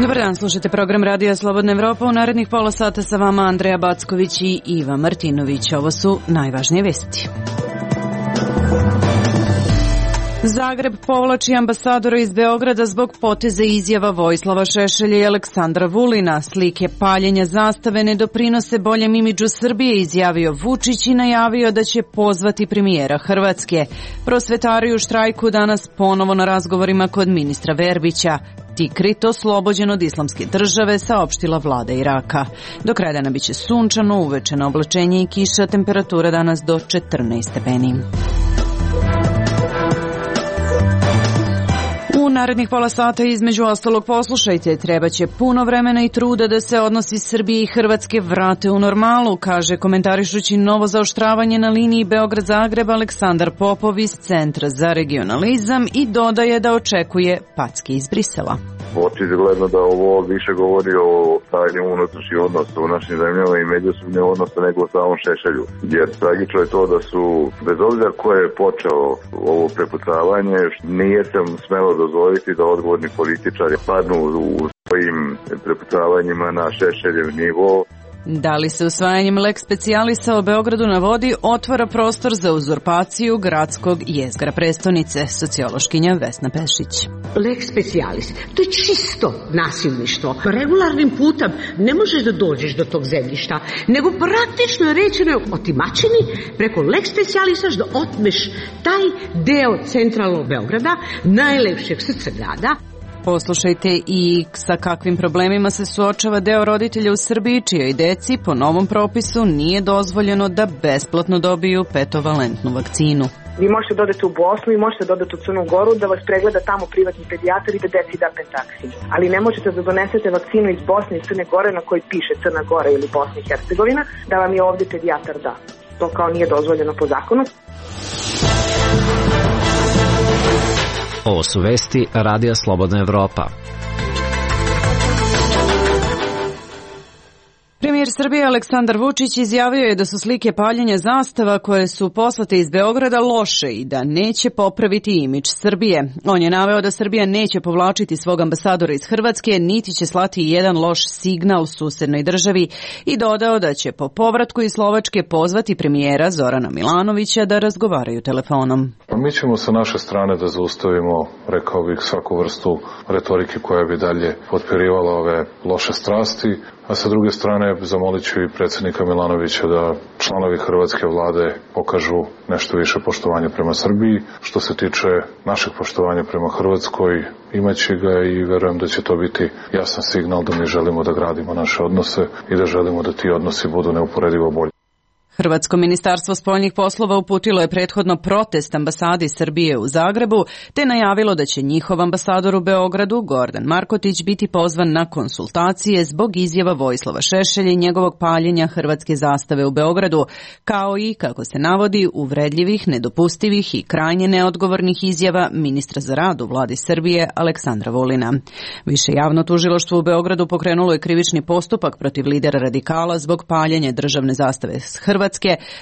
Dobar dan, slušajte program Radija Slobodna Evropa. U narednih pola sata sa vama Andreja Backović i Iva Martinović. Ovo su najvažnije vesti. Zagreb povlači ambasadora iz Beograda zbog poteza izjava Vojislava Šešelja i Aleksandra Vulina. Slike paljenja zastave ne doprinose boljem imidžu Srbije, izjavio Vučić i najavio da će pozvati premijera Hrvatske. Prosvetari u štrajku danas ponovo na razgovorima kod ministra Verbića. Tikrit oslobođen od Islamske države, saopštila vlada Iraka. Do kraja dana biće sunčano, uveče na oblačenje i kiša, temperatura danas do 14 stepeni. U narednih pola sata između ostalog poslušajte, trebaće puno vremena i truda da se odnosi Srbije i Hrvatske vrate u normalu, kaže komentarišući novo zaoštravanje na liniji Beograd-Zagreb Aleksandar Popov iz Centra za regionalizam i dodaje da očekuje packe iz Brisela. Očigledno da ovo više govori o stanju unutrašnjih odnosa u našim zemljama i međusobnih odnosa nego o samom Šešelju. Jer tragično je to da su, bez obzira ko je počeo ovo prepucavanje, nije se smelo dozvoliti da odgovorni političari padnu u svojim prepucavanjima na Šešeljev nivo. Da li se usvajanjem lex specialisa o Beogradu na vodi otvara prostor za uzurpaciju gradskog jezgra prestonice, sociološkinja Vesna Pešić. Lex specialis, to je čisto nasilništvo. Regularnim putem ne možeš da dođeš do tog zemljišta, nego praktično je rečeno otimačini preko lex specialisa da otmeš taj deo centralnog Beograda, najlepšeg srca grada. Poslušajte i sa kakvim problemima se suočava deo roditelja u Srbiji čijoj deci po novom propisu nije dozvoljeno da besplatno dobiju petovalentnu vakcinu. Vi možete dodati u Bosnu i možete dodati u Crnu Goru da vas pregleda tamo privatni pedijatar i da deci da pentaksin. Ali ne možete da donesete vakcinu iz Bosne i Crne Gore na kojoj piše Crna Gora ili Bosna i Hercegovina da vam je ovdje pedijatar da. To kao nije dozvoljeno po zakonu. Ovo su vesti Radija Slobodna Evropa. Premijer Srbije Aleksandar Vučić izjavio je da su slike paljenja zastava koje su poslate iz Beograda loše i da neće popraviti imidž Srbije. On je naveo da Srbija neće povlačiti svog ambasadora iz Hrvatske, niti će slati jedan loš signal susednoj državi i dodao da će po povratku iz Slovačke pozvati premijera Zorana Milanovića da razgovaraju telefonom. Mi ćemo sa naše strane da zaustavimo, rekao bih, svaku vrstu retorike koja bi dalje potpirivala ove loše strasti, a sa druge strane zamolit ću i predsjednika Milanovića da članovi hrvatske vlade pokažu nešto više poštovanja prema Srbiji. Što se tiče našeg poštovanja prema Hrvatskoj, imaće ga i verujem da će to biti jasan signal da mi želimo da gradimo naše odnose i da želimo da ti odnosi budu neuporedivo bolji. Hrvatsko ministarstvo spoljnih poslova uputilo je prethodno protest ambasadi Srbije u Zagrebu, te najavilo da će njihov ambasador u Beogradu, Gordan Markotić, biti pozvan na konsultacije zbog izjava Vojislava Šešelja i njegovog paljenja hrvatske zastave u Beogradu, kao i, kako se navodi, uvredljivih, nedopustivih i krajnje neodgovornih izjava ministra za rad u vladi Srbije Aleksandra Vulina. Više javno tužilaštvo u Beogradu pokrenulo je krivični postupak protiv lidera radikala zbog paljenja državne zastave Hrvatske,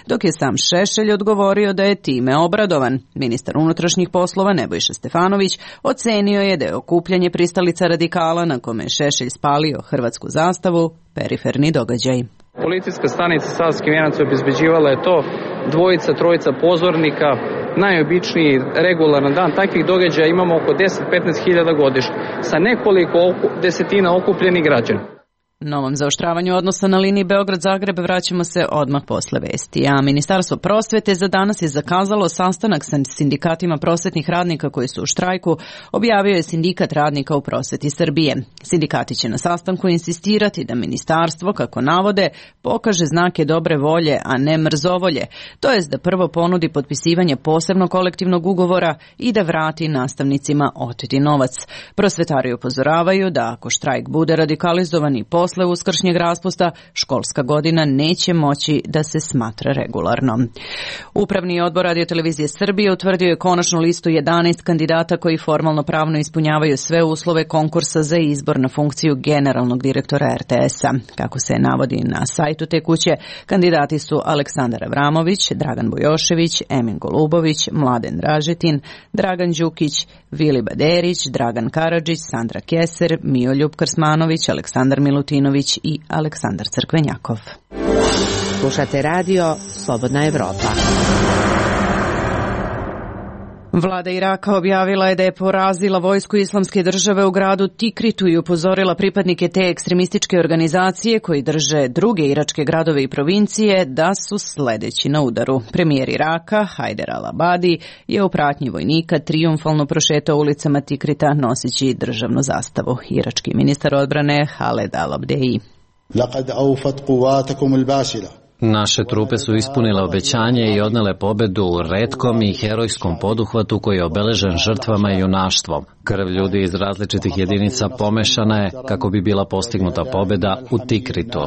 dok je sam Šešelj odgovorio da je time obradovan. Ministar unutrašnjih poslova Nebojša Stefanović ocenio je da je okupljanje pristalica radikala na kome je Šešelj spalio hrvatsku zastavu periferni događaj. Policijska stanica Savski Venac obezbeđivala je to, dvojica, trojica pozornika, najobičniji regularan dan. Takvih događaja imamo oko 10-15 hiljada godišnje sa nekoliko desetina okupljenih građana. Novom zaoštravanju odnosa na liniji Beograd-Zagreb vraćamo se odmah posle vesti. A Ministarstvo prosvete za danas je zakazalo sastanak sa sindikatima prosvetnih radnika koji su u štrajku, objavio je Sindikat radnika u prosveti Srbije. Sindikati će na sastanku insistirati da ministarstvo, kako navode, pokaže znake dobre volje, a ne mrzovolje, to jest da prvo ponudi potpisivanje posebnog kolektivnog ugovora i da vrati nastavnicima oteti novac. Prosvetari upozoravaju da ako štrajk bude radikalizovan i posle uskršnjeg raspusta, školska godina neće moći da se smatra regularno. Upravni odbor Radio-televizije Srbije utvrdio je konačnu listu 11 kandidata koji formalno pravno ispunjavaju sve uslove konkursa za izbor na funkciju generalnog direktora RTS-a. Kako se navodi na sajtu te kuće, kandidati su Aleksandar Avramović, Dragan Bujošević, Emin Golubović, Mladen Dražetin, Dragan Đukić, Vili Baderić, Dragan Karadžić, Sandra Keser, Mijoljub Krsmanović, Aleksandar Milutinović i Aleksandar Crkvenjakov. Slušate radio Slobodna Evropa. Vlada Iraka objavila je da je porazila vojsku Islamske države u gradu Tikritu i upozorila pripadnike te ekstremističke organizacije koji drže druge iračke gradove i provincije da su sledeći na udaru. Premijer Iraka, Hajder al-Abadi, je u pratnji vojnika trijumfalno prošetao ulicama Tikrita noseći državnu zastavu. Irački ministar odbrane Haled al-Abdeji. Naše trupe su ispunile obećanje i odnele pobedu u retkom i herojskom poduhvatu koji je obeležen žrtvama i junaštvom. Krv ljudi iz različitih jedinica pomešana je kako bi bila postignuta pobeda u Tikritu.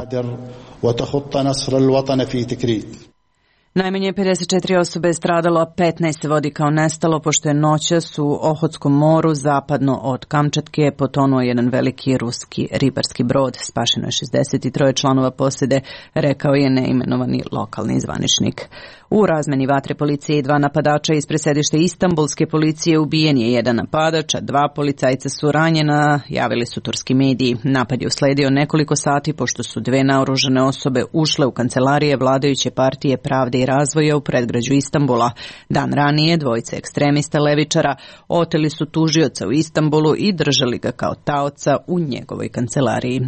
Najmanje 54 osobe je stradalo, 15 se vodi kao nestalo, pošto je noćas u Ohotskom moru zapadno od Kamčatke potonuo jedan veliki ruski ribarski brod. Spašeno je 63 članova posade, rekao je neimenovani lokalni zvaničnik. U razmeni vatre policije i 2 napadača ispred sedišta Istanbulske policije ubijen je jedan napadač, a 2 policajca su ranjena, javili su turski mediji. Napad je usledio nekoliko sati pošto su 2 naoružane osobe ušle u kancelarije vladajuće partije Pravde i razvoja u predgrađu Istanbula. Dan ranije 2 ekstremista levičara oteli su tužioca u Istanbulu i držali ga kao taoca u njegovoj kancelariji.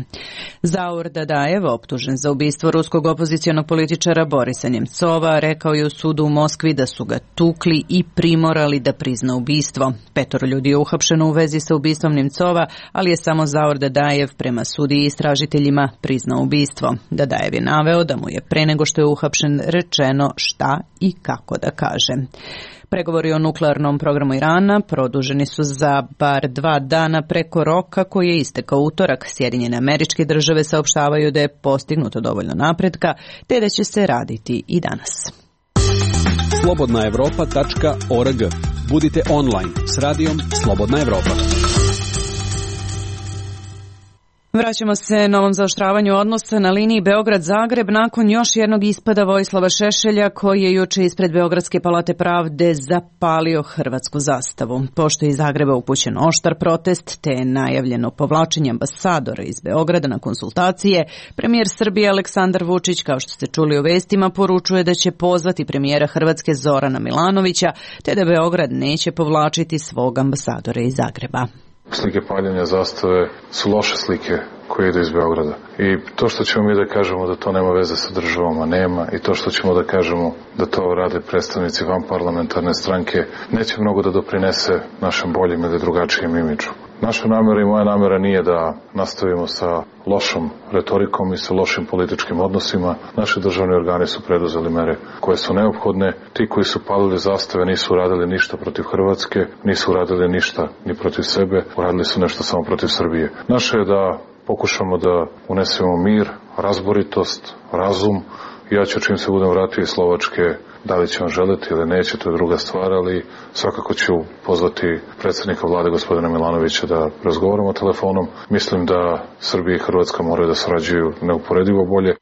Zaur Dadajev, optužen za ubistvo ruskog opozicionog političara Borisa Njemcova, rekao je u sudu u Moskvi da su ga tukli i primorali da prizna ubistvo. 5 ljudi je uhapšeno u vezi sa ubistvom Njemcova, ali je samo Zaur Dadajev prema sudiji i istražiteljima priznao ubistvo. Dadajev je naveo da mu je pre nego što je uhapšen rečeno šta i kako da kaže. Pregovori o nuklearnom programu Irana produženi su za bar 2 dana preko roka koji je istekao utorak. Sjedinjene Američke Države saopštavaju da je postignuto dovoljno napretka, te da će se raditi i danas. slobodnaevropa.org. Budite online s radijom Slobodna Evropa. Vraćamo se novom zaoštravanju odnosa na liniji Beograd-Zagreb nakon još jednog ispada Vojislava Šešelja koji je juče ispred Beogradske palate pravde zapalio hrvatsku zastavu. Pošto je iz Zagreba upućen oštar protest te je najavljeno povlačenje ambasadora iz Beograda na konsultacije, premijer Srbije Aleksandar Vučić, kao što ste čuli u vestima, poručuje da će pozvati premijera Hrvatske Zorana Milanovića te da Beograd neće povlačiti svog ambasadora iz Zagreba. Slike paljenja zastave su loše slike koje idu iz Beograda. I to što ćemo mi da kažemo da to nema veze sa državom, a nema, i to što ćemo da kažemo da to rade predstavnici vanparlamentarne stranke, neće mnogo da doprinese našem boljem ili drugačijem imidžu. Naša namera i moja namera nije da nastavimo sa lošom retorikom i sa lošim političkim odnosima. Naši državni organi su preduzeli mere koje su neophodne. Ti koji su palili zastave nisu uradili ništa protiv Hrvatske, nisu uradili ništa ni protiv sebe, uradili su nešto samo protiv Srbije. Naše je da pokušamo da unesemo mir, razboritost, razum. Ja ću čim se budem vratio iz Slovačke, da li će on želeti ili neće, to je druga stvar, ali svakako ću pozvati predsjednika vlade gospodina Milanovića da razgovaramo telefonom. Mislim da Srbija i Hrvatska moraju da sarađuju neuporedivo bolje.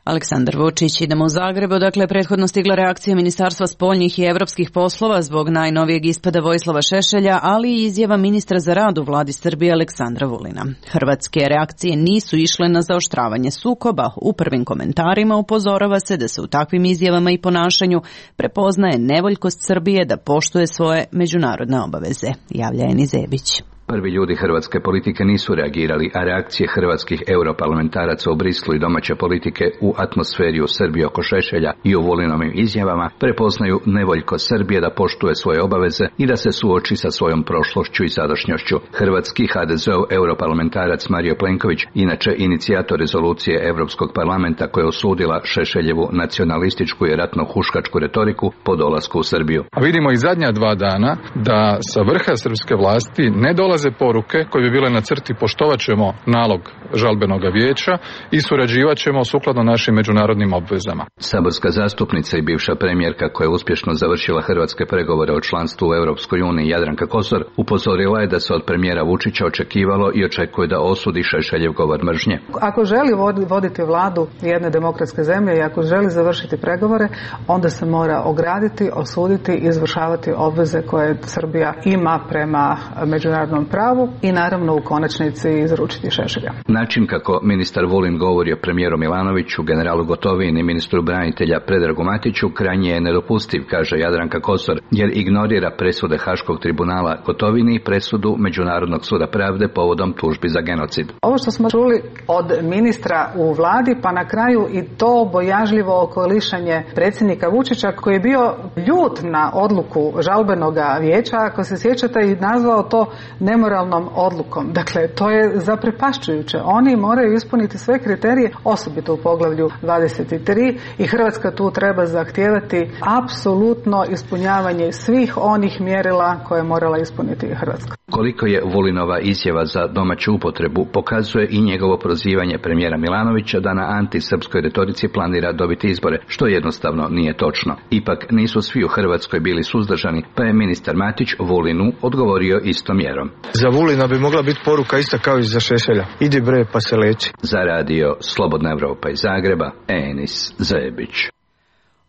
Aleksandar Vučić. Idemo u Zagreb, odakle je prethodno stigla reakcija Ministarstva spoljnih i evropskih poslova zbog najnovijeg ispada Vojislava Šešelja, ali i izjava ministra za rad u vladi Srbije Aleksandra Vulina. Hrvatske reakcije nisu išle na zaoštravanje sukoba. U prvim komentarima upozorava se da se u takvim izjavama i ponašanju prepoznaje nevoljkost Srbije da poštuje svoje međunarodne obaveze, javlja Eni Zebić. Prvi ljudi hrvatske politike nisu reagirali, a reakcije hrvatskih europarlamentaraca u Brislu i domaće politike u atmosferi u Srbiji oko Šešelja i u Vulinovim izjavama prepoznaju nevoljko Srbije da poštuje svoje obaveze i da se suoči sa svojom prošlošću i sadašnjošću. Hrvatski HDZ-ov europarlamentarac Mario Plenković, inače inicijator rezolucije Europskog parlamenta koja je osudila Šešeljevu nacionalističku i ratno-huškačku retoriku po dolasku u Srbiju. A vidimo i zadnja 2 dana da sa vrha srpske vlasti ne dolazi dolaze poruke koje bi bile na crti poštovat ćemo nalog žalbenog vijeća i surađivat ćemo sukladno našim međunarodnim obvezama. Saborska zastupnica i bivša premijerka koja je uspješno završila hrvatske pregovore o članstvu u Europskoj uniji Jadranka Kosor upozorila je da se od premijera Vučića očekivalo i očekuje da osudi Šešeljev govor mržnje. Ako želi voditi vladu jedne demokratske zemlje i ako želi završiti pregovore, onda se mora ograditi, osuditi i izvršavati obveze koje Srbija ima prema međunarodnom pravu i naravno u konačnici izručiti Šešelja. Način kako ministar Vulin govori o premijeru Milanoviću, generalu Gotovini i ministru branitelja Predragu Matiću krajnje je nedopustiv, kaže Jadranka Kosor, jer ignorira presude Haškog tribunala Gotovini i presudu Međunarodnog suda pravde povodom tužbi za genocid. Ovo što smo čuli od ministra u vladi, pa na kraju i to bojažljivo okolišanje predsjednika Vučića koji je bio ljut na odluku žalbenog vijeća, ako se sjećate, i nazvao to nemoralnom odlukom. Dakle, to je zaprepašćujuće. Oni moraju ispuniti sve kriterije, osobito u poglavlju 23 i Hrvatska tu treba zahtijevati apsolutno ispunjavanje svih onih mjerila koje je morala ispuniti Hrvatska. Koliko je Vulinova izjava za domaću upotrebu pokazuje i njegovo prozivanje premijera Milanovića da na antisrpskoj retorici planira dobiti izbore, što jednostavno nije točno. Ipak nisu svi u Hrvatskoj bili suzdržani, pa je ministar Matić Vulinu odgovorio istom mjerom. Za Vulina bi mogla biti poruka ista kao i za Šešelja. Idi bre pa se leči. Za radio Slobodna Evropa iz Zagreba, Enis Zebić.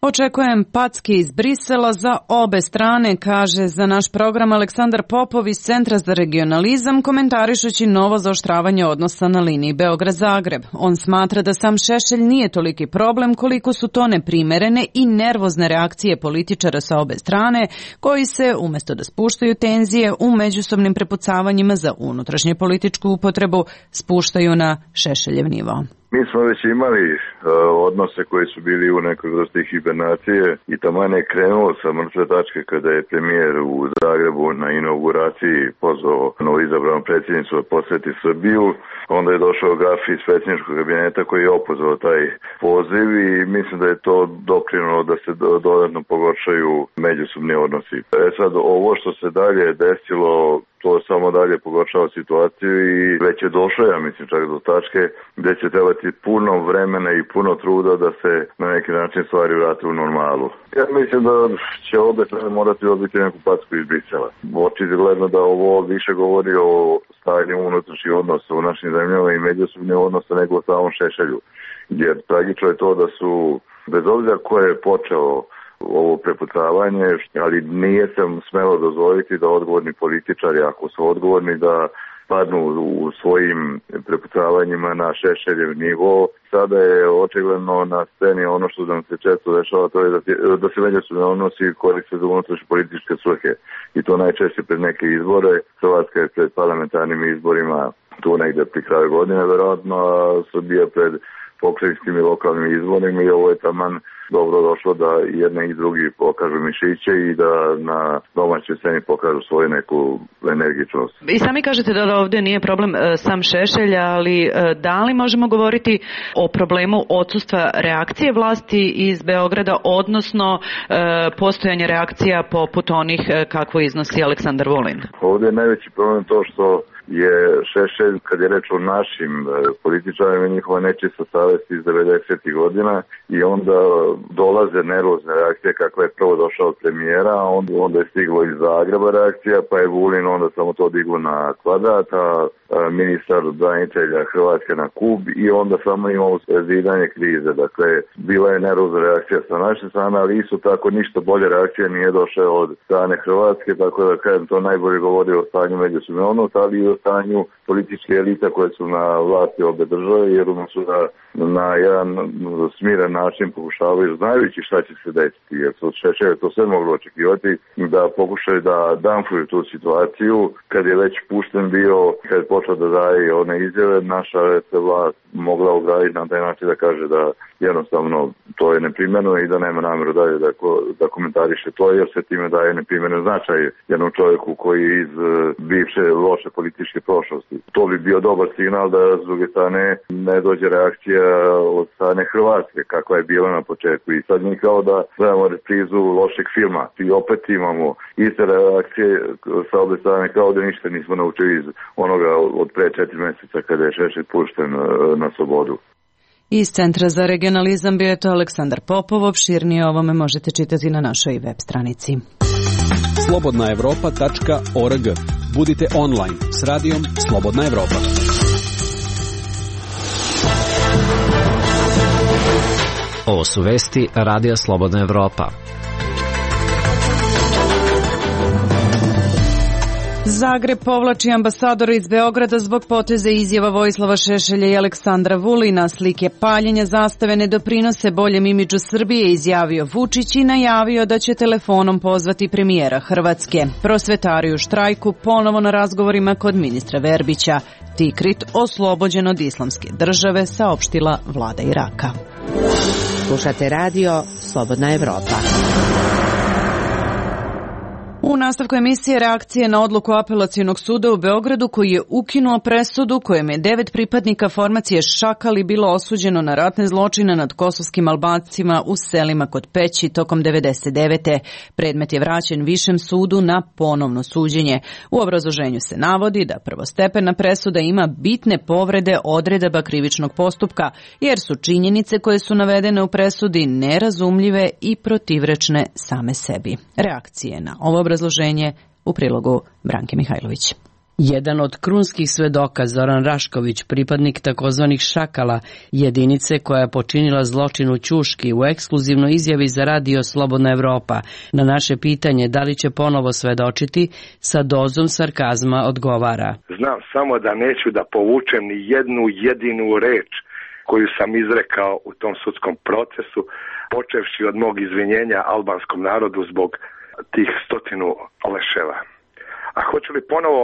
Očekujem packe iz Brisela za obe strane, kaže za naš program Aleksandar Popov iz Centra za regionalizam, komentarišući novo zaoštravanje odnosa na liniji Beograd-Zagreb. On smatra da sam Šešelj nije toliki problem koliko su to neprimerene i nervozne reakcije političara sa obe strane, koji se, umjesto da spuštaju tenzije u međusobnim prepucavanjima za unutrašnje političku upotrebu, spuštaju na Šešeljev nivo. Mi smo već imali odnose koji su bili u nekoj vrsti hibernacije i taman je krenulo sa mrtve tačke kada je premijer u Zagrebu na inauguraciji pozvao novoizabranu predsjednicu da posjeti Srbiju. Onda je došao graf iz predsjedničkog kabineta koji je opozvao taj poziv i mislim da je to doprinulo da se dodatno pogoršaju međusobni odnosi. Sad ovo što se dalje desilo, to samo dalje pogoršava situaciju i već je došlo, ja mislim, čak do tačke gdje će trebati puno vremena i puno truda da se na neki način stvari vrate u normalu. Ja mislim da će obe strane morati dobiti neku packu iz Brisela. Očigledno da ovo više govori o stanju unutrašnjih odnosa u našim zemljama i međusobnih odnosa nego o samom Šešelju. Jer tragično je to da su, bez obzira ko je počeo ovo prepucavanje, ali nije se smelo dozvoliti da odgovorni političari, ako su odgovorni, da padnu u svojim prepucavanjima na Šešeljev nivo. Sada je očigledno na sceni ono što nam se često dešava, to je da se međusobni odnosi koriste za unutrašnje političke svrhe. I to najčešće pred neke izbore. Hrvatska je pred parlamentarnim izborima tu negdje pri kraju godine, verovatno, a Srbija pred pokrajinskim i lokalnim izborima i ovo je taman dobro došlo da jedne i drugi pokažu mišiće i da na domaćoj sceni pokažu svoju neku energičnost. I sami kažete da ovdje nije problem sam Šešelj, ali da li možemo govoriti o problemu odsustva reakcije vlasti iz Beograda, odnosno postojanje reakcija poput onih kakvo iznosi Aleksandar Vulin? Ovdje je najveći problem to što je Šešelj, kad je reč o našim političarima, njihova nečista savjest iz 90. godina i onda dolaze nervozne reakcije kakva je prvo došao od premijera, a onda je stiglo iz Zagreba reakcija, pa je Vulin onda samo to diglo na kvadrat, a ministar branitelja Hrvatske na kub i onda samo imamo zidanje krize. Dakle, bila je nervozna reakcija sa naše strane, ali isto tako ništa bolje reakcija nije došla od strane Hrvatske, tako da kažem to najbolje govori o stanju međusobnih odnosa, ali i o stanju političke elita koje su na vlasti obe države, jer su da na jedan smiren način pokušavaju, znajući šta će se desiti, jer su od Šešelja to sve moglo očekivati, da pokušaju da damfuju tu situaciju. Kad je već pušten bio, kad je počeo da daje one izjave, naša se vlast mogla ograditi na taj način da kaže da jednostavno to je neprimjereno i da nema namjeru dalje da komentariše to, jer se time daje neprimjeren značaj jednom čovjeku koji iz bivše loše političke komunističke prošlosti. To bi bio dobar signal da s druge strane ne dođe reakcija od strane Hrvatske, kakva je bila na početku. I sad mi kao da gledamo reprizu lošeg filma. I opet imamo iste reakcije sa obe strane, kao da ništa nismo naučili iz onoga od pre 4 meseca kada je Šešelj pušten na slobodu. Iz Centra za regionalizam bio je to Aleksandar Popov. Opširnije o ovome možete čitati na našoj web stranici. slobodnaevropa.org. Budite online s radijom Slobodna Evropa. Ovo su vesti Radija Slobodna Evropa. Zagreb povlači ambasadora iz Beograda zbog poteze izjava Vojislava Šešelja i Aleksandra Vulina. Slike paljenja zastave ne doprinose boljem imidžu Srbije, izjavio Vučić i najavio da će telefonom pozvati premijera Hrvatske. Prosvetari u štrajku ponovo na razgovorima kod ministra Verbića. Tikrit oslobođen od Islamske države, saopštila vlada Iraka. Slušate radio Slobodna Evropa. U nastavku emisije reakcije na odluku Apelacionog suda u Beogradu koji je ukinuo presudu kojem je 9 pripadnika formacije Šakali bilo osuđeno na ratne zločine nad kosovskim Albancima u selima kod Peći tokom 99. Predmet je vraćen Višem sudu na ponovno suđenje. U obrazloženju se navodi da prvostepena presuda ima bitne povrede odredaba krivičnog postupka, jer su činjenice koje su navedene u presudi nerazumljive i protivrečne same sebi. Reakcije na ovo obrazloženje u prilogu Branke Mihajlović. Jedan od krunskih svedoka, Zoran Rašković, pripadnik takozvanih Šakala, jedinice koja je počinila zločin u Ćuški, u ekskluzivnoj izjavi za radio Slobodna Evropa na naše pitanje da li će ponovo svedočiti, sa dozom sarkazma odgovara. Znam samo da neću da povučem ni jednu jedinu reč koju sam izrekao u tom sudskom procesu, počevši od mog izvinjenja albanskom narodu zbog tih 100 leševa. A hoću li ponovo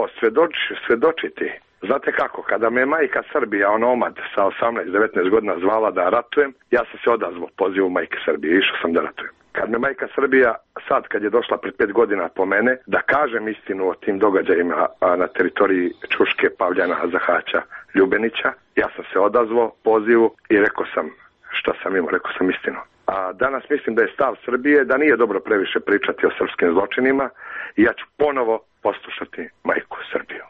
svedočiti? Znate kako, kada me majka Srbija, onomad sa 18-19 godina zvala da ratujem, ja sam se odazvao pozivu majke Srbije, išao sam da ratujem. Kad me majka Srbija, sad kad je došla pred 5 godina po mene, da kažem istinu o tim događajima na teritoriji Ćuške, Pavljana, Zahaća, Ljubenića, ja sam se odazvao pozivu i rekao sam šta sam imao, rekao sam istinu. A danas mislim da je stav Srbije da nije dobro previše pričati o srpskim zločinima i ja ću ponovo poslušati majku Srbiju.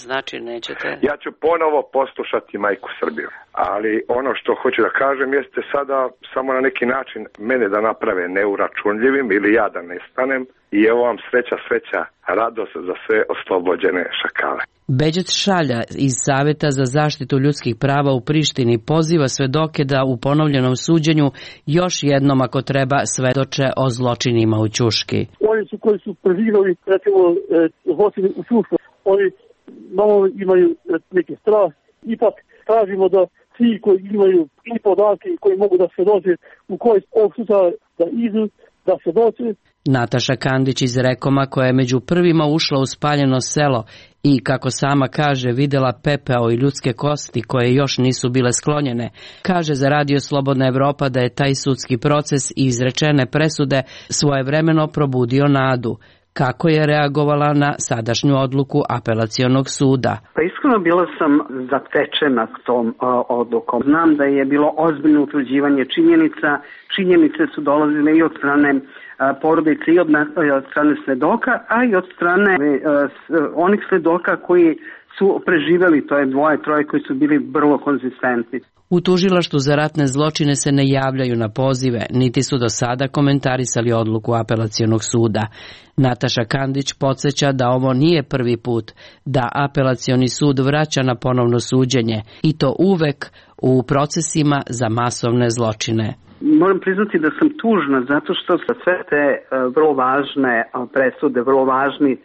Znači nećete. Ja ću ponovo poslušati majku Srbiju. Ali ono što hoću da kažem jeste sada samo na neki način mene da naprave neuračunljivim ili ja da nestanem i evo vam sreća, radost za sve oslobođene šakale. Beđet Šalja iz Saveta za zaštitu ljudskih prava u Prištini poziva svedoke da u ponovljenom suđenju još jednom ako treba svedoče o zločinima u Ćuški. Oni su koji su preživjeli recimo zločine u Ćušku, oni malo imaju neke strah, ipak tražimo da svi koji imaju i podatke koji mogu da svedoče u kojoj ovog slučaja da idu, da svedoče. Nataša Kandić iz Rekoma, koja je među prvima ušla u spaljeno selo i, kako sama kaže, videla pepeo i ljudske kosti koje još nisu bile sklonjene, kaže za radio Slobodna Evropa da je taj sudski proces i izrečene presude svojevremeno probudio nadu. Kako je reagovala na sadašnju odluku Apelacionog suda? Pa iskreno bila sam zatečena tom odlukom. Znam da je bilo ozbiljno utvrđivanje činjenica. Činjenice su dolazile i od strane porodice i od strane svedoka, a i od strane onih svedoka koji su preživeli, to je 2-3 koji su bili vrlo konzistentni. U tužilaštvu za ratne zločine se ne javljaju na pozive, niti su do sada komentarisali odluku Apelacionog suda. Nataša Kandić podsjeća da ovo nije prvi put da Apelacioni sud vraća na ponovno suđenje, i to uvek u procesima za masovne zločine. Moram priznati da sam tužna zato što sve te vrlo važne presude, vrlo važni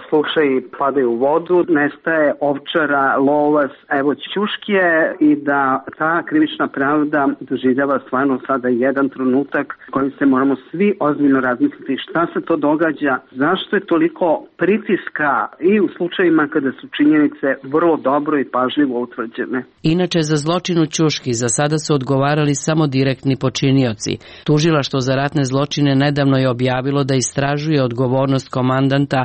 slučaji padaju u vodu, nestaje Ovčara, Lovas, evo Ćuškije i da ta krivična pravda doživljava stvarno sada jedan trenutak kojim se moramo svi ozbiljno razmisliti šta se to događa, zašto je toliko pritiska i u slučajima kada su činjenice vrlo dobro i pažljivo utvrđene. Inače, za zločin u Ćuški za sada su odgovarali samo direktni počinioci. Tužilaštvo za ratne zločine nedavno je objavilo da istražuje odgovornost komandanta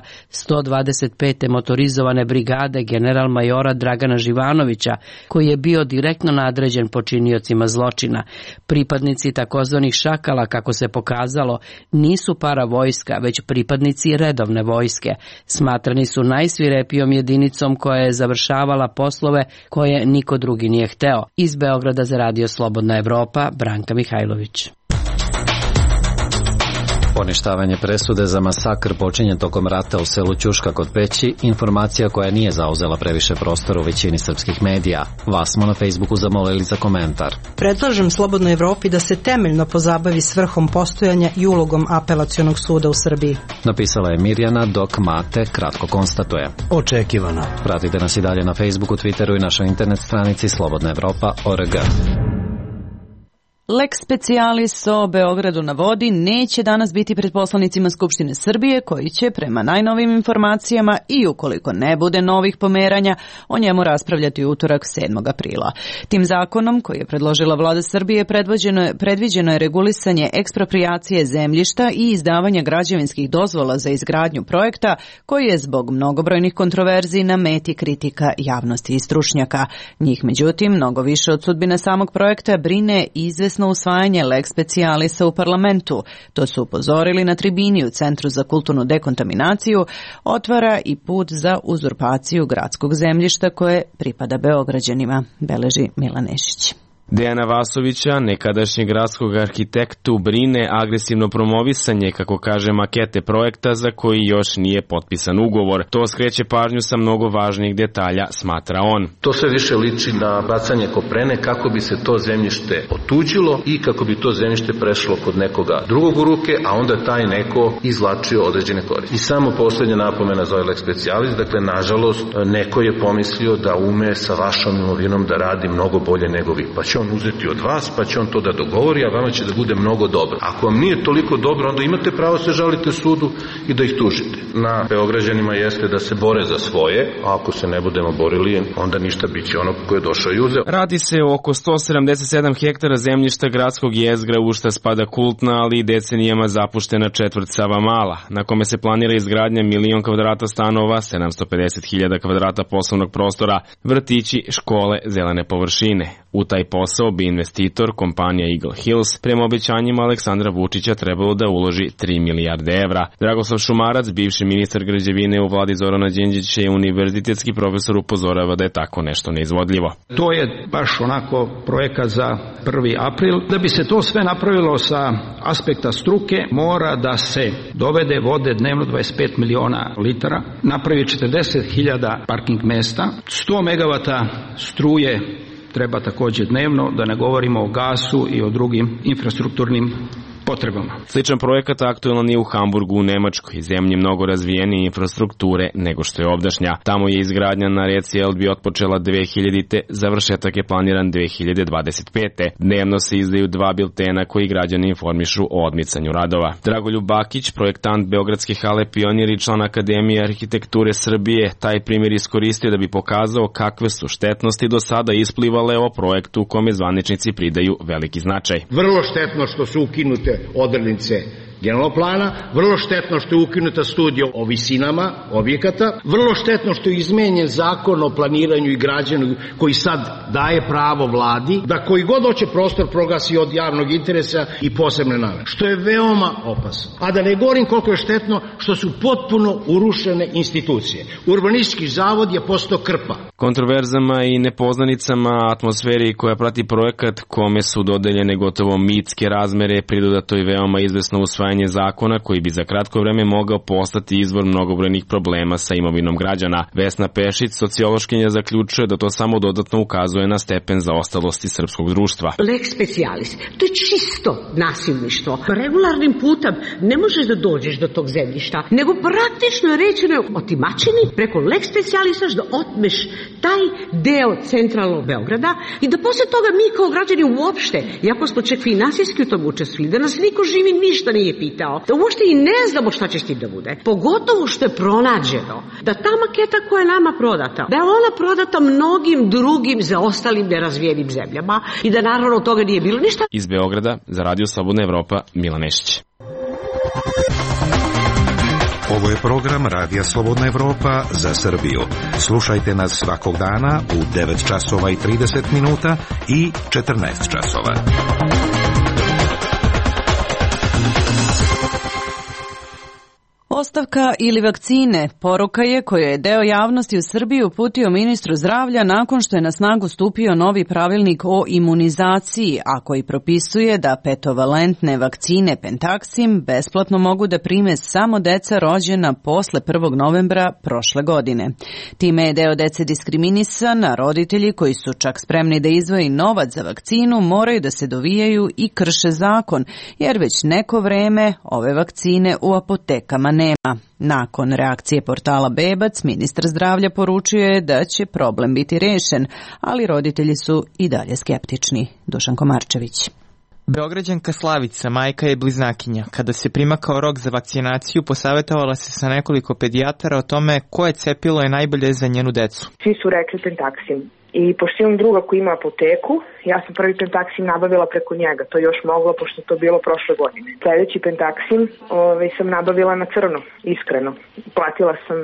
125. motorizovane brigade general majora Dragana Živanovića, koji je bio direktno nadređen počiniocima zločina. Pripadnici takozvanih šakala, kako se pokazalo, nisu paravojska, već pripadnici redovne vojske. Smatrani su najsvirepijom jedinicom koja je završavala poslove koje niko drugi nije hteo. Iz Beograda za Radio Slobodna Evropa, Branka Mihajlović. Poništavanje presude za masakr počinje tokom rata u selu Ćuška kod Peći, informacija koja nije zauzela previše prostora u većini srpskih medija. Vas smo na Facebooku zamolili za komentar. Predlažem Slobodnoj Evropi da se temeljno pozabavi svrhom postojanja i ulogom apelacionog suda u Srbiji. Napisala je Mirjana, dok Mate kratko konstatuje. Očekivano. Pratite nas i dalje na Facebooku, Twitteru i našoj internet stranici slobodnaevropa.org. Lex specialis o Beogradu na vodi neće danas biti pred poslanicima Skupštine Srbije, koji će prema najnovim informacijama i ukoliko ne bude novih pomeranja o njemu raspravljati utorak 7. aprila. Tim zakonom koji je predložila vlada Srbije predviđeno je regulisanje eksproprijacije zemljišta i izdavanja građevinskih dozvola za izgradnju projekta koji je zbog mnogobrojnih kontroverzi na meti kritika javnosti i stručnjaka. Njih međutim mnogo više od sudbine samog projekta brine izvesno usvajanje lex specialisa u parlamentu. To su upozorili na tribini u Centru za kulturnu dekontaminaciju, otvara i put za uzurpaciju gradskog zemljišta koje pripada Beograđanima, beleži Milan Nešić. Dejana Vasovića, nekadašnjeg gradskog arhitektu, brine agresivno promovisanje, kako kaže, makete projekta za koji još nije potpisan ugovor. To skreće pažnju sa mnogo važnih detalja, smatra on. To sve više liči na bacanje koprene kako bi se to zemljište otuđilo i kako bi to zemljište prešlo kod nekoga drugog u ruke, a onda taj neko izvlačio određene koristi. I samo poslednja napomena za ovaj lex specialis, dakle, nažalost, neko je pomislio da ume sa vašom imovinom da radi mnogo bolje nego vi. Pa će on uzeti od vas, pa će on to da dogovori, a vama će da bude mnogo dobro. Ako vam nije toliko dobro, onda imate pravo se žalite sudu i da ih tužite. Na Beograđanima jeste da se bore za svoje, a ako se ne budemo borili, onda ništa, biće ono ko je došao i uzeo. Radi se o oko 177 hektara zemljišta gradskog jezgra, u šta spada kultna, ali i decenijama zapuštena četvrt Savamala, na kome se planira izgradnja 1.000.000 kvadrata stanova, 750.000 kvadrata poslovnog prostora, vrtići, škole, zelene površine. U taj posao bi investitor, kompanija Eagle Hills, prema obećanjima Aleksandra Vučića trebalo da uloži 3 milijarde evra. Dragoslav Šumarac, bivši ministar građevine u vladi Zorana Đinđića i univerzitetski profesor, upozorava da je tako nešto neizvodljivo. To je baš onako projekat za 1. april. Da bi se to sve napravilo sa aspekta struke, mora da se dovede vode dnevno 25 miliona litara, napravi 40.000 parking mesta, 100 megavata struje treba također dnevno, da ne govorimo o gasu i o drugim infrastrukturnim potrebama. Sličan projekat aktualan je u Hamburgu u Nemačkoj, zemlji mnogo razvijenije infrastrukture nego što je ovdašnja. Tamo je izgradnja na reci Elbi otpočela 2000-te, završetak je planiran 2025. Dnevno se izdaju 2 biltena koji građani informišu o odmicanju radova. Dragoljub Bakić, projektant Beogradske hale Pionir i član Akademije arhitekture Srbije, taj primjer iskoristio da bi pokazao kakve su štetnosti do sada isplivale o projektu kome zvaničnici pridaju veliki značaj. Vrlo štetno što su ukinute odrednice generalnog plana, vrlo štetno što je ukinuta studija o visinama objekata, vrlo štetno što je izmenjen zakon o planiranju i građenju koji sad daje pravo vladi da koji god hoće prostor proglasi od javnog interesa i posebne namene, što je veoma opasno. A da ne govorim koliko je štetno što su potpuno urušene institucije. Urbanistički zavod je postao krpa. Kontroverzama i nepoznanicama atmosferi koja prati projekat, kome su dodeljene gotovo mitske razmere, pridodato je veoma izvesno usvajanje zakona koji bi za kratko vreme mogao postati izvor mnogobrojnih problema sa imovinom građana. Vesna Pešić, sociološkinja, zaključuje da to samo dodatno ukazuje na stepen zaostalosti srpskog društva. Lex specialis, to je čisto nasilništvo. Regularnim putem ne možeš da dođeš do tog zemljišta, nego praktično je rečeno otimačini preko lex specialisa da otmeš taj deo centralnog Beograda i da posle toga mi kao građani uopšte, iako smo čak finansijski u tom učestvili, da nas niko živi ništa nije pitao, da uopšte i ne znamo šta će s tim da bude. Pogotovo što je pronađeno da ta maketa koja je nama prodata, da je ona prodata mnogim drugim zaostalim nerazvijenim zemljama i da naravno od toga nije bilo ništa. Iz Beograda za Radio Slobodna Evropa, Milan Nešić. Ovo je program Radija Slobodna Evropa za Srbiju. Slušajte nas svakog dana u 9 časova i 30 minuta i 14 časova. Ostavka ili vakcine, poruka je koju je deo javnosti u Srbiji uputio ministru zdravlja nakon što je na snagu stupio novi pravilnik o imunizaciji, a koji propisuje da petovalentne vakcine Pentaxim besplatno mogu da prime samo deca rođena posle 1. novembra prošle godine. Time je deo dece diskriminisan, a roditelji koji su čak spremni da izdvoji novac za vakcinu moraju da se dovijaju i krše zakon, jer već neko vreme ove vakcine u apotekama nema. Nakon reakcije portala Bebac, ministar zdravlja poručio je da će problem biti rešen, ali roditelji su i dalje skeptični. Dušan Komarčević. Beograđanka Slavica, majka je bliznakinja. Kada se primakao rok za vakcinaciju, posavetovala se sa nekoliko pedijatara o tome koje cepilo je najbolje za njenu decu. Svi su rekli Pentaxim. I pošto imam druga koji ima apoteku, ja sam prvi Pentaxim nabavila preko njega. To je još moglo, pošto to bilo prošle godine. Sljedeći Pentaxim sam nabavila na crno, iskreno. Platila sam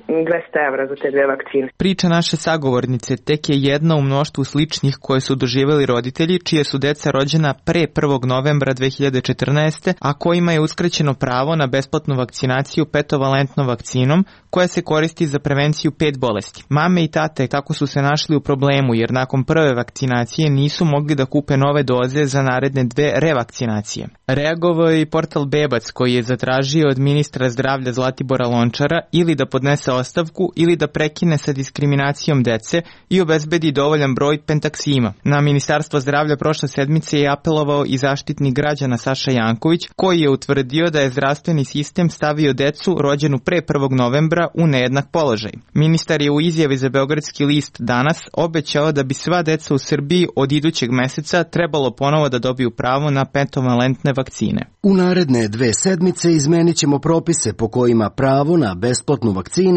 200 evra za te dve vakcine. Priča naše sagovornice tek je jedna u mnoštvu sličnih koje su doživjeli roditelji, čije su deca rođena pre 1. novembra 2014. a kojima je uskraćeno pravo na besplatnu vakcinaciju petovalentnom vakcinom, koja se koristi za prevenciju 5 bolesti. Mame i tate tako su se našli u problemu, jer nakon prve vakcinacije nisu mogli da kupe nove doze za naredne 2 revakcinacije. Reagovao je i portal Bebac, koji je zatražio od ministra zdravlja Zlatibora Lončara ili da podnese ostavku ili da prekine sa diskriminacijom dece i obezbedi dovoljan broj Pentaxima. Na Ministarstvo zdravlja prošle sedmice je apelovao i zaštitnik građana Saša Janković, koji je utvrdio da je zdravstveni sistem stavio decu rođenu pre 1. novembra u nejednak položaj. Ministar je u izjavi za Beogradski list Danas obećao da bi sva deca u Srbiji od idućeg meseca trebalo ponovo da dobiju pravo na petovalentne vakcine. U naredne 2 sedmice izmenit ćemo propise po kojima pravo na besplatnu vakcinu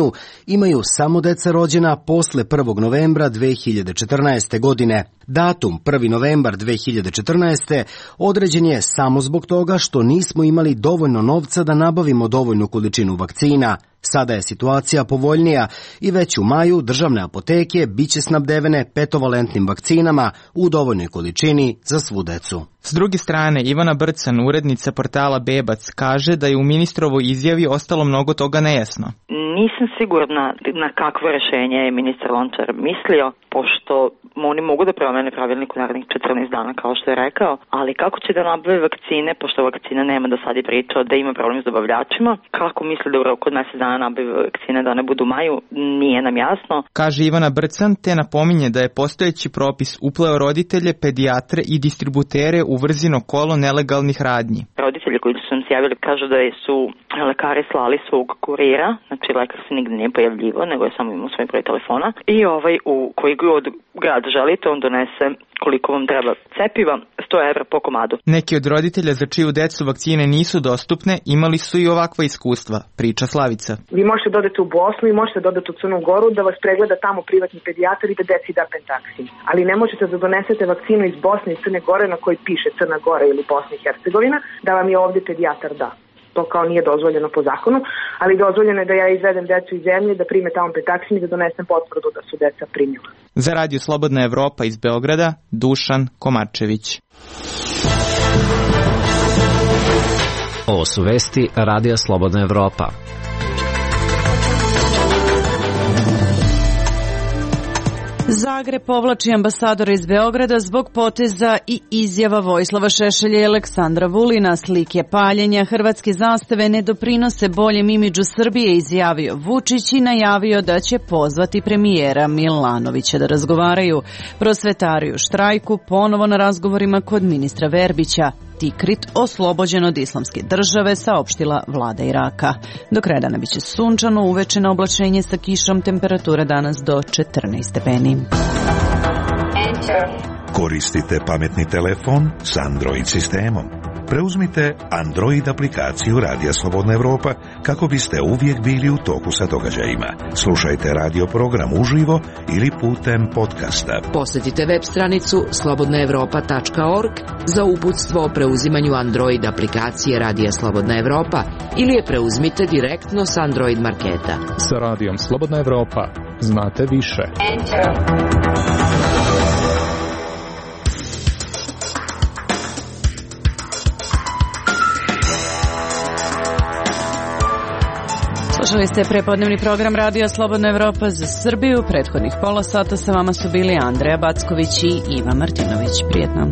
imaju samo deca rođena posle 1. novembra 2014. godine. Datum 1. novembar 2014. određen je samo zbog toga što nismo imali dovoljno novca da nabavimo dovoljnu količinu vakcina. Sada je situacija povoljnija i već u maju državne apoteke biće snabdevene petovalentnim vakcinama u dovoljnoj količini za svu decu. S druge strane, Ivana Brcan, urednica portala Bebac, kaže da je u ministrovoj izjavi ostalo mnogo toga nejasno. Nisam sigurna na kakvo rešenje je ministar Lončar mislio, pošto oni mogu da promene pravilnik u narednih 14 dana, kao što je rekao, ali kako će da nabave vakcine, pošto vakcina nema, do sad je pričao da ima problem s dobavljačima, kako misle da u roku od mjesec dana nabave vakcine da ne budu u maju, nije nam jasno. Kaže Ivana Brcan, te napominje da je postojeći propis upleo roditelje, pedijatre i distributere u vrzino kolo nelegalnih radnji. Roditelji koji su nam se javili kažu da su lekari slali svog kurira, znači lekar se nigde nije pojavljivo, nego je samo imao svoj broj telefona i u koji god grad želite, on donese koliko vam treba cepiva, 100 evra po komadu. Neki od roditelja za čiju decu vakcine nisu dostupne imali su i ovakva iskustva, priča Slavica. Vi možete dodati u Bosnu i možete dodati u Crnu Goru da vas pregleda tamo privatni pedijatar i da deci da Pentaxim. Ali ne možete da donesete vakcinu iz Bosne i Crne Gore na kojoj piše Crna Gora ili Bosna i Hercegovina, da vam je ovdje pedijatar da. To kao nije dozvoljeno po zakonu, ali dozvoljeno je da ja izvedem decu iz zemlje, da prime tamo Pentaxim i da donesem potvrdu da su deca primila. Za Radio Slobodna Evropa iz Beograda, Dušan Komarčević. Ovo su vesti Radija Slobodna Evropa. Zagreb povlači ambasadora iz Beograda zbog poteza i izjava Vojislava Šešelja i Aleksandra Vulina. Slike paljenja hrvatske zastave ne doprinose boljem imidžu Srbije, izjavio Vučić i najavio da će pozvati premijera Milanovića da razgovaraju. Prosvetari u štrajku ponovo na razgovorima kod ministra Verbića. Tikrit oslobođen od islamske države, saopštila vlada Iraka. Do kraja dana biće sunčano, uveče na oblačenje sa kišom, temperatura danas do 14 stepeni. Koristite pametni telefon s Android sistemom. preuzmite Android aplikaciju Radija Slobodna Evropa kako biste uvijek bili u toku sa događajima. Slušajte radio program uživo ili putem podcasta. Posjetite web stranicu slobodnaevropa.org za uputstvo o preuzimanju Android aplikacije Radija Slobodna Evropa ili je preuzmite direktno s Android marketa. Sa Radijom Slobodna Evropa znate više. Slušali ste prepodnevni program Radija Slobodna Evropa za Srbiju. Prethodnih pola sata sa vama su bili Andreja Backović i Iva Martinović. Prijetno.